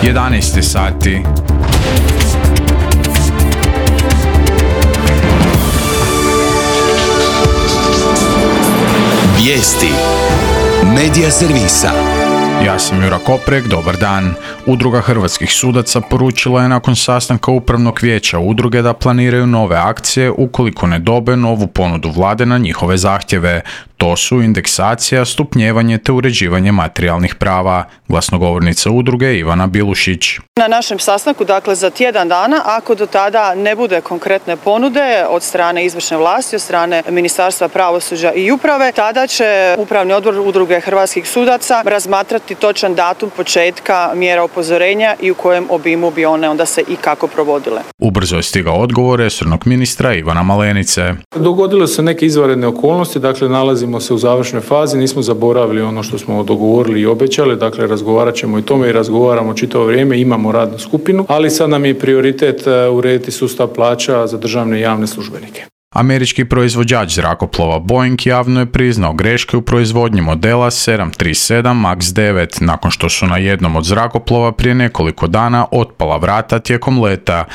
11 sati. Vijesti Medija servisa. Ja sam Jura Koprek, dobar dan. Udruga hrvatskih sudaca poručila je nakon sastanka upravnog vijeća udruge da planiraju nove akcije ukoliko ne dobe novu ponudu vlade na njihove zahtjeve. To su indeksacija, stupnjevanje te uređivanje materijalnih prava. Glasnogovornica udruge Ivana Bilušić. Na našem sastanku, dakle za tjedan dana, ako do tada ne bude konkretne ponude od strane izvršne vlasti, od strane Ministarstva pravosuđa i uprave, tada će Upravni odbor udruge hrvatskih sudaca razmatrati točan datum početka mjera upozorenja i u kojem obimu bi one onda se i kako provodile. Ubrzo je stigao odgovor resornog ministra Ivana Malenice. Dogodile se neke izvanredne okolnosti, dakle nalazimo se u završnoj fazi, nismo zaboravili ono što smo dogovorili i obećali, dakle razgovarat ćemo i tome i razgovaramo čitavo vrijeme, imamo radnu skupinu, ali sad nam je prioritet urediti sustav plaća za državne i javne službenike. Američki proizvođač zrakoplova Boeing javno je priznao greške u proizvodnji modela 737 MAX 9 nakon što su na jednom od zrakoplova prije nekoliko dana otpala vrata tijekom leta.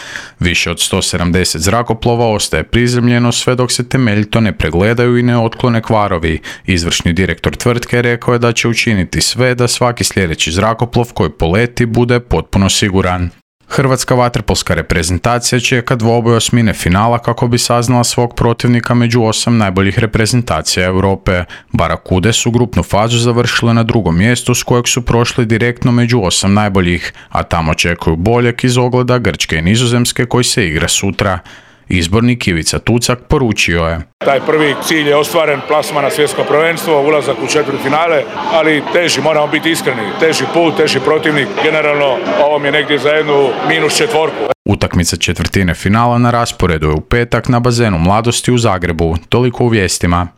Više od 170 zrakoplova ostaje prizemljeno sve dok se temeljito ne pregledaju i ne otklone kvarovi. Izvršni direktor tvrtke rekao je da će učiniti sve da svaki sljedeći zrakoplov koji poleti bude potpuno siguran. Hrvatska vaterpolska reprezentacija čeka dvoboj osmine finala kako bi saznala svog protivnika među 8 najboljih reprezentacija Europe. Barakude su grupnu fazu završile na drugom mjestu s kojeg su prošli direktno među 8 najboljih, a tamo čekaju boljeg iz ogleda Grčke i Nizozemske koji se igra sutra. Izbornik Ivica Tucak poručio je: Taj prvi cilj je ostvaren, plasman na svjetsko prvenstvo, ulazak u četvrtfinale, ali teži, moramo biti iskreni, teži put, teži protivnik. Generalno, ovo mi je negdje za jednu -4. Utakmica četvrtine finala na rasporedu je u petak na bazenu Mladosti u Zagrebu. Toliko u vijestima.